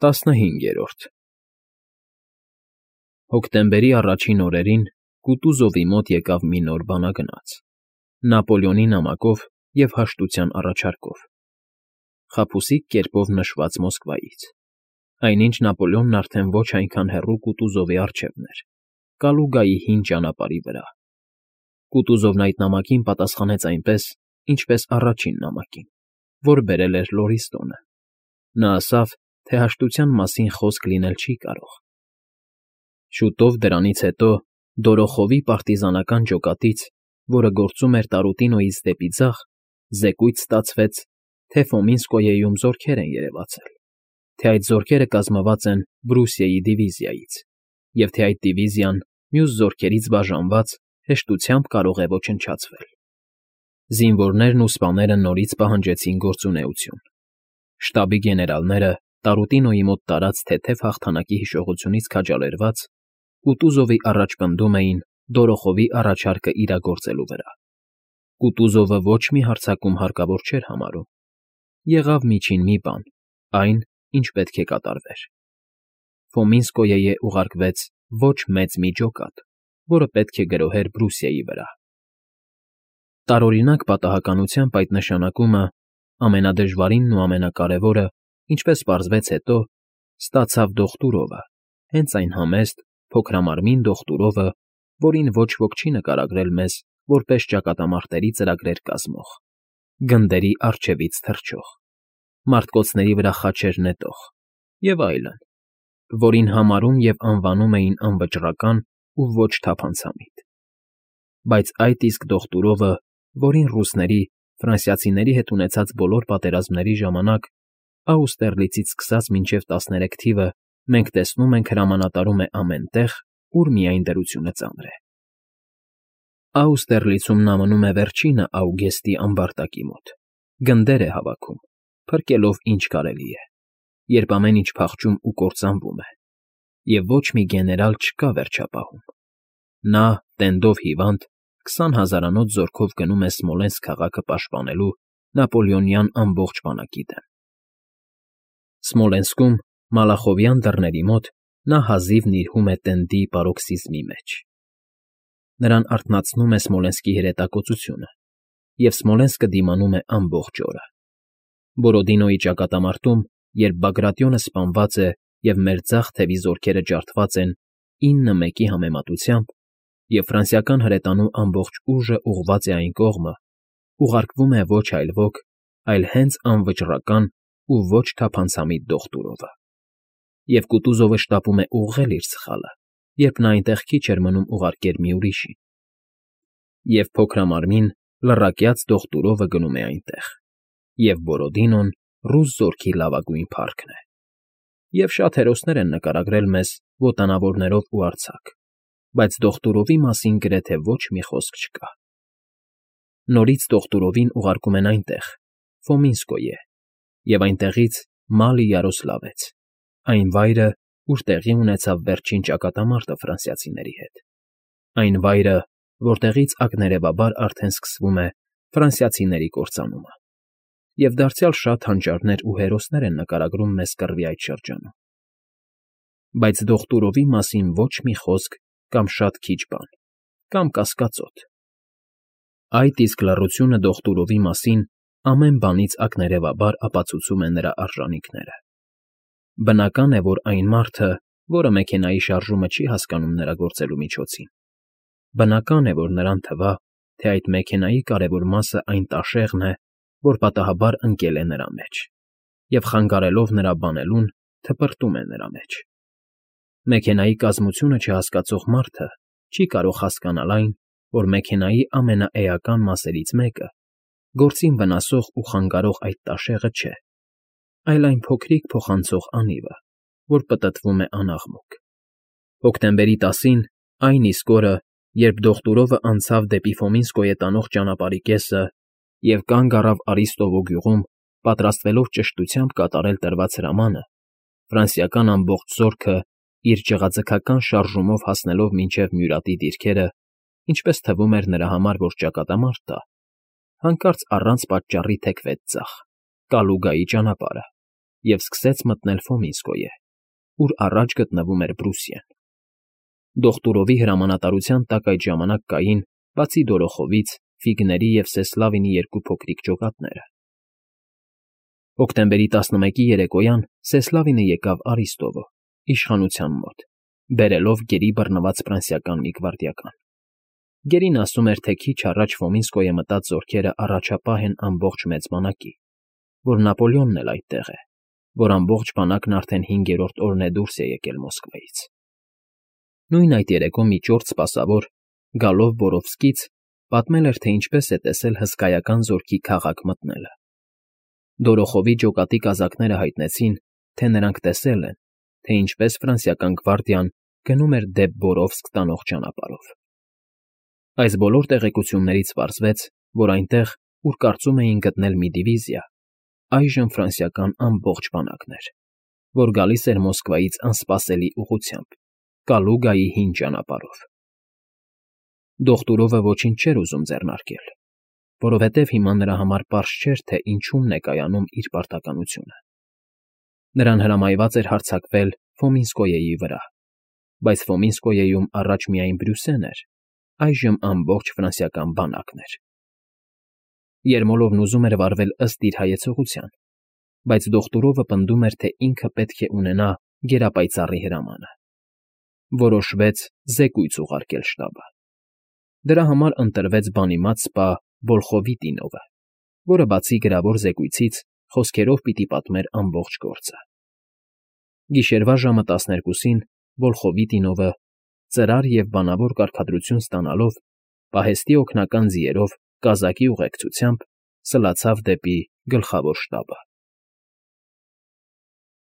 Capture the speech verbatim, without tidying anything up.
ՏԱՍՆՀԻՆԳԵՐՈՐԴ Հոկտեմբերի առաջին օրերին Կուտուզովի մոտ եկավ մի նոր բանագնաց՝ Նապոլեոնի նամակով և հաշտության առաջարկով, խաբուսիկ կերպով նշված Մոսկվայից, այնինչ Նապոլեոնն արդեն ոչ այնքան հեռու Կուտուզովի առջևն էր, Կալուգայի հին ճանապարհի վրա։ Կուտուզովն այդ նամակին պատասխանեց այնպես, ինչպես առաջին նամակին, որ բերել էր Լորիստոնը. նա ասավ, թե հաշտության մասին խոսք լինել չի կարող։ Շուտով դրանից հետո Դորոխովի պարտիզանական ջոկատից, որը գործում էր Տարուտինոյից դեպի ձախ, զեկույց ստացվեց, թե Ֆոմինսկոյեում զորքեր են երևացել, թե այդ զորքերը կազմված են Բրուսիայի դիվիզիայից, և թե այդ դիվիզիան, մյուս զորքերից բաժանված, հեշտությամբ կարող է ոչնչացվել։ Զինվորներն ու սպաները նորից պահանջեցին գործունեություն։ Շտաբի գեներալները, Տարուտինոյի մոտ տարած թեթև հաղթանակի հիշողությունից քաջալերված, Կուտուզովի առաջ պնդում էին Դորոխովի առաջարկը իրագործելու վրա։ Կուտուզովը ոչ մի հարձակում հարկավոր չէր համարում։ Եղավ միջին մի բան, այն, ինչ պետք է կատարվեր։ Ֆոմինսկոյեե ուղարկվեց ոչ մեծ մի ջոկատ, որը պետք է գրոհեր Բրուսիայի վրա։ Տարօրինակ պատահականությամբ այդ նշանակումը, ամենադժվարինն ու ամենակարևորը, ինչպես պարզվեց հետո, ստացավ Դոխտուրովը, հենց այն համեստ, փոքրամարմին Դոխտուրովը, որին ոչ ոք չի նկարագրել մեզ որպես ճակատամարտերի ծրագրեր կազմող, գնդերի առջևից թռչող, մարտկոցների վրա խաչեր նետող և այլն, որին համարում և անվանում էին անվճռական ու ոչ թափանցամիտ։ Բայց այդ իսկ Դոխտուրովը, որին ռուսների, ֆրանսիացիների հետ ունեցած բոլոր պատերազմների ժամանակ, Աուստերլիցից սկսած մինչև տասներեք թիվը, մենք տեսնում ենք հրամանատարում է ամեն տեղ, ուր միայն դրությունը ծանր է։ Աուստերլիցում նա մնում է վերջինը Աուգեստի ամբարտակի մոտ, գնդեր է հավաքում, փրկելով ինչ կարելի է, երբ ամեն ինչ փախչում ու կործանվում է, և ոչ մի գեներալ չկա վերջապահում։ Նա, տենդով հիվանդ, քսան հազարանոց զորքով գնում է Սմոլենսկ քաղաքը պաշտպանելու Նապոլեոնյան ամբողջ բանակի դեմ։ Սմոլենսկում, Մալախովյան դռների մոտ, նա հազիվ նիրհում է տենդի պարոքսիզմի մեջ։ Նրան արթնացնում է Սմոլենսկի հրետակոծությունը, և Սմոլենսկը դիմանում է ամբողջ օրը։ Բորոդինոյի ճակատամարտում, երբ Բագրատիոնը սպանված է և մեր ձախ թևի զորքերը ջարդված են ինը մեկի համեմատությամբ, և ֆրանսիական հրետանու ամբողջ ուժը ուղղված է այն կողմը, ուղարկվում է ոչ այլ ոք, այլ հենց անվճռական ու ոչ թափանցամիտ Դոխտուրովը։ Եվ Կուտուզովը շտապում է ուղղել իր սխալը, երբ նա այնտեղ քիչ էր մնում ուղարկեր մի ուրիշին։ Եվ փոքրամարմին, լռակյաց Դոխտուրովը գնում է այնտեղ, և Բորոդինոն ռուս զորքի լավագույն փառքն է։ Եվ շատ հերոսներ են նկարագրել մեզ ոտանավորներով ու արձակ, բայց Դոխտուրովի մասին գրեթե ոչ մի խոսք չկա։ Նորից Դոխտուրովին ուղարկում են այնտեղ, Ֆոմինսկոյե, և այնտեղից Մալի֊Յարոսլավեց, այն վայրը, ուր տեղի ունեցավ վերջին ճակատամարտը ֆրանսիացիների հետ, այն վայրը, որտեղից ակներևաբար արդեն սկսվում է ֆրանսիացիների կործանումը, և դարձյալ շատ հանճարներ ու հերոսներ են նկարագրում մեզ կռվի այդ շրջանում։ Բայց Դոխտուրովի մասին ոչ մի խոսք կամ շատ քիչ բան, կամ կասկածոտ։ Այդ իսկ լռությունը Դոխտուրովի մասին ամեն բանից ակներևաբար ապացուցում է նրա արժանիքները։ Բնական է, որ այն մարդը, որը մեքենայի շարժումը չի հասկանում նրա գործելու միջոցին, բնական է, որ նրան թվա, թե այդ մեքենայի կարևոր մասը այն տաշեղն է, որ պատահաբար ընկել է նրա մեջ, և խանգարելով նրա բանելուն, թպրտում է նրա մեջ։ Մեքենայի կազմությունը չհասկացող մարդը չի կարող հասկանալ այն, որ մեքենայի ամենաէական մասերից մեկը, գործին վնասող ու խանգարող այդ տաշեղը չէ, այլ այն փոքրիկ փոխանցող անիվը, որ պտտվում է անաղմուկ։ Հոկտեմբերի տասին, այն իսկ օրը, երբ Դոխտուրովը անցավ դեպի Ֆոմինսկոյե տանող ճանապարհի կեսը և կանգ առավ Արիստովո գյուղում, պատրաստվելով ճշտությամբ կատարել տրված հրամանը, ֆրանսիական ամբողջ զորքը, իր ճղաձգական շարժումով հասնելով մինչև Մյուրատի դիրքերը, ինչպես թվում էր նրա համար, որ ճակատամարտ տա, հանկարծ առանց պատճառի թեքվեց ձախ, Կալուգայի ճանապարհը, և սկսեց մտնել Ֆոմինսկոյե, ուր առաջ գտնվում էր Բրուսիան։ Դոխտուրովի հրամանատարության տակ այդ ժամանակ կային, բացի Դորոխովից, Ֆիգների և Սեսլավինի երկու փոքրիկ ջոկատները։ Հոկտեմբերի տասնմեկի երեկոյան Սեսլավինը եկավ Արիստովո, իշխանության մոտ, բերելով գերի բռնված ֆրանսիական մի գվարդիական։ Գերին ասում էր, թե քիչ առաջ Ֆոմինսկոյե մտած զորքերը առաջապահ են ամբողջ մեծ բանակի, որ Նապոլեոնն էլ այդտեղ է, որ ամբողջ բանակն արդեն հինգերորդ օրն է դուրս է եկել Մոսկվայից։ Նույն այդ երեկո մի ճորտ սպասավոր, գալով Բորովսկից, պատմել էր, թե ինչպես է տեսել հսկայական զորքի քաղաք մտնելը։ Դորոխովի ջոկատի կազակները հայտնեցին, թե նրանք տեսել են, թե ինչպես ֆրանսիական գվարդիան գնում էր դեպ Բորովսկ տանող ճանապարհով։ Այս բոլոր տեղեկություններից պարզվեց, որ այնտեղ, ուր կարծում էին գտնել մի դիվիզիա, այժմ ֆրանսիական ամբողջ բանակն էր, որ գալիս էր Մոսկվայից անսպասելի ուղղությամբ, Կալուգայի հին ճանապարհով։ Դոխտուրովը ոչինչ չէր ուզում ձեռնարկել, որովհետև հիմա նրա համար պարզ չէր, թե ինչումն է կայանում իր պարտականությունը։ Նրան հրամայված էր հարձակվել Ֆոմինսկոյեի վրա, բայց Ֆոմինսկոյեում առաջ միայն Բրյուսեն էր, այժմ ամբողջ ֆրանսիական բանակն էր։ Երմոլովն ուզում էր վարվել ըստ իր հայեցողության, բայց Դոխտուրովը պնդում էր, թե ինքը պետք է ունենա գերապայծառի հրամանը։ Որոշվեց զեկույց ուղարկել շտաբը։ Դրա համար ընտրվեց բանիմաց սպա Վոլխովիտինովը, որը բացի գրավոր զեկույցից խոսքերով պիտի պատմեր ամբողջ գործը։ Գիշերվա ժամը տասներկուսին Վոլխովիտինովը, ծրար և բանավոր կարգադրություն ստանալով, պահեստի օգնական ձիերով կազակի ուղեկցությամբ սլացավ դեպի գլխավոր շտաբը։